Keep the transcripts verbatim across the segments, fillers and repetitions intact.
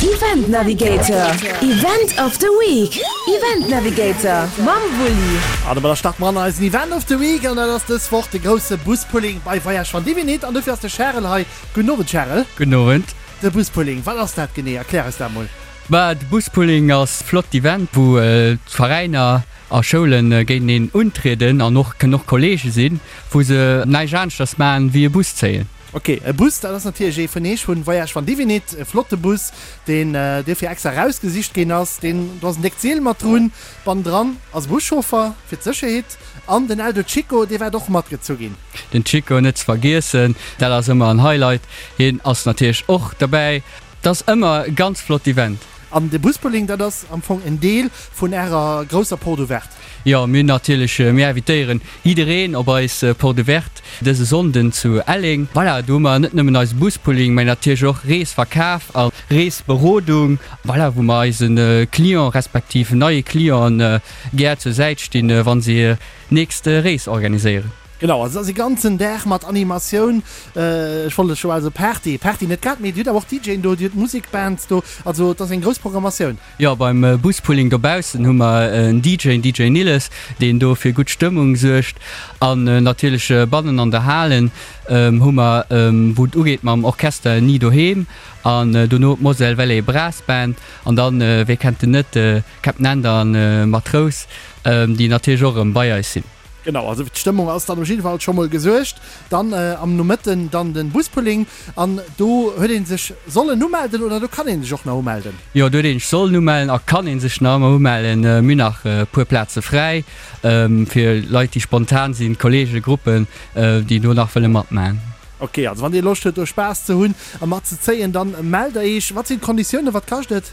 Event Navigator, Event of the Week, Event Navigator mam Wulli. An domadder starte mer an eisen Event of the Week an dat ass dës Woch de grousse Buspulling bei Voyage van Divinit an dofir ass de Charel hei. Gudden Owend Charel. Gudden Owend. De Buspulling, wat ass dat genee? Erklär eis dat mol. Bah, de Buspulling ass flott Event wou d'Veräiner a Schoulen géinteneen untrieden an och kënnen och Kollege sinn, wou se näischt aneschters maachen wéi e Bus zéien. Ok, e Bus, dat ass natierlech ee vun eech vun Voyage van Divinit, e flotte Bus, deen duerfir extra erausgesicht ginn ass. Deen, do ass en déckt Seel mat drun, bannendran ass e Buschauffer fir d'Sécherheet an den Eldo Chico, dee waert och matgezu ginn. Den Chico net ze vergiessen, dat ass ëmmer en Highlight. Hien ass natierlech och derbäi. Et ass ëmmer e ganz flott Event. An de Buspulling, dat ass am Fong en Deel vun Ärer grousser Porte ouverte? Jo, mir hunn natierlech, mir invitéieren jiddereen op eis Porte ouverte dëse Sonnden zu Elleng. Voilà, do hu mer net nëmmen eise Buspulling, mä natierlech och Reesverkaf a Reesberodung, voilà, wou mer eise Client respektiv neie Clienten gär zur Säit stinn, wa se hir nächst Rees organiséieren. Genau, also et ass e ganzen Dag mat Animatioun, ech wollt elo scho bal soe Party, Party net grad, mee Dir hutt awer och DJen do, Dir hutt Musekbands do, also et ass eng grouss Programmatioun. Jo, beim Buspulling dobaussen hu mer en D J, den D J Nilles, deen do fir gutt Stëmmung suergt. An natierlech bannen an der Halen hu mer, wou et ugeet mam Orchester Ni Doheem an dono d'Moselle Valley Brass Band an dann, wee kennt en net, Captain Ender an Matrous, déi natierlech och erëm bei eis sinn. Genau, also fir d'Stëmmung ass dann op jidde Fall scho mol gesuergt. Dann am Nomëtten dann den Buspulling an do huet een sech sollen umelden oder do kann een sech och nach umelden? Jo, do huet een sech sollen umellen a kann een sech nach ëmmer umellen. Mir hunn nach e puer Plaze fräi fir Leit déi spontan sinn, Kollegen, Gruppen déi do nach wëlle matmachen. Ok, also wann dir Loscht huet do Spaass ze hunn a mat ze zéien, dann mellt der eech. Wat sinn d'Konditiounen, wat kascht et?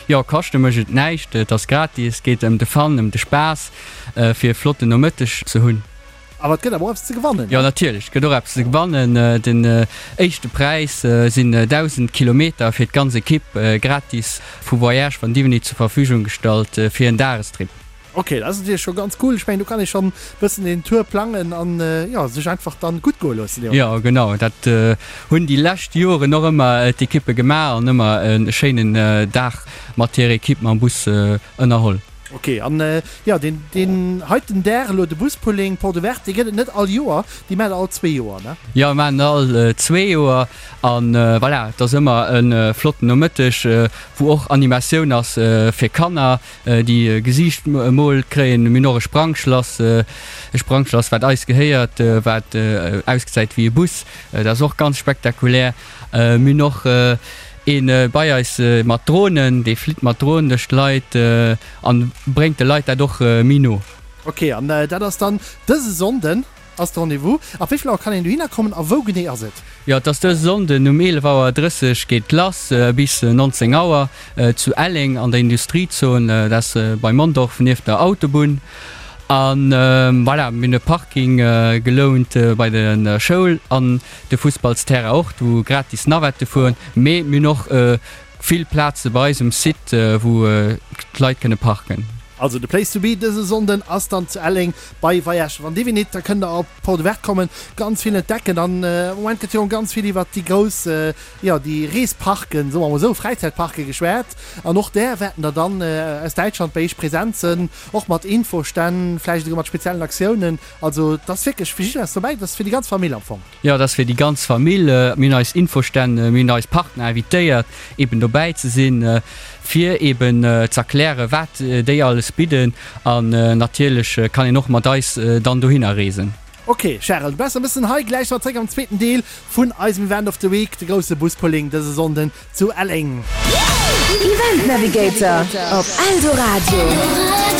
Jo, kaschte mécht et näischt, et ass gratis, et geet ëm de Fun, ëm de Spaass, fir e flotten Nomëtteg ze hunn. Awer et gëtt awer och eppes ze gewannen, ne? Jo, natierlech, et gëtt och eppes ze gewannen. Den éischte Präis sinn dausend Kilometer fir d'ganz Ekipp, gratis vu Voyage van Diveny zur Verfügung gestallt fir en Dagestrip. Ok, dat ass natierlech scho ganz cool. Ech mengen, do kann ee schonn bëssen een Tour plangen an, jo, sech einfach dann gutt goe loossen, jo. Jo, genau, dat hunn déi lescht Joren och ëmmer d'Ekippe gemaach an ëmmer e schéinen Dag mat hirer Ekipp mam Bus ënnerholl. Ok, an, jo, deen, deen heiten Dag elo, de Buspulling Porte Ouverte, dee gëtt et net all Joer, déi maacht der all zwee Joer, ne? Jo, mir maachen en all zwee Joer an, voilà, et ass ëmmer e flotten Nomëtteg, wou och Animatioun ass fir Kanner. Déi Gesiicht emol kréien. Mir hunn och e Sprangschlass, e Sprangschlass wat eis gehéiert, wat ausgesäit wéi e Bus. Dat ass och ganz spektakulär. Mir hunn och ee bei eis mat Dronen, dee flitt mat Dronen duerch d'Leit an bréngt de Leit dat och méi no. Ok, an dat ass dann dëse Sonnden? Ass de Rendez-vous. Ab wéi vill Auer kann een dohinner kommen a wou genee ass et? Jo, et ass dëse Sonnden um eelef Auer drësseg geet lass bis nonzéng Auer zu Elleng an der Industriezon, dat ass bei Mondorf nieft der Autobunn. A voilà, mir hunn e Parking gelount bei der Schoul an de Fussballsterrain och, wou gratis Navette fueren. Mee mir hunn och vill Plaze bei eis um Site, wou d'Leit kënne parken. Also de Place to be dëse Sonnden ass dann zu Elleng bei Voyage van Divinit. Da kënnt der op Porte Ouverte kommen, ganz vill entdecken an am Moment gëtt jo ganz vill iwwert déi grouss, jo déi Reesparken, soe mer mol esou, Fräizäitparke geschwat an och där wäerten der dann aus Däitschland bei iech present sënn, och mat Infostänn, vläicht esouguer mat speziellen Aktiounen. Also et ass wierklech fir jiddereen eppes dobäi, et ass fir déi ganz Famill am Fong. Jo, et ass fir déi ganz Famill. Mir hunn eis Infostänn, mir hunn eis Partner invitéiert, eben dobäi ze sinn, fir eben z'erklären, wat déi alles bidden. An natierlech kann een och mat eis dann dohinner reesen. Ok, Charel, du bass e bëssen hei. Gläich si mer zréck am zweeten Deel vun eisem Event of the Week, de grousse Buspulling dëse Sonnden zu Elleng. Event Navigator op Eldoradio.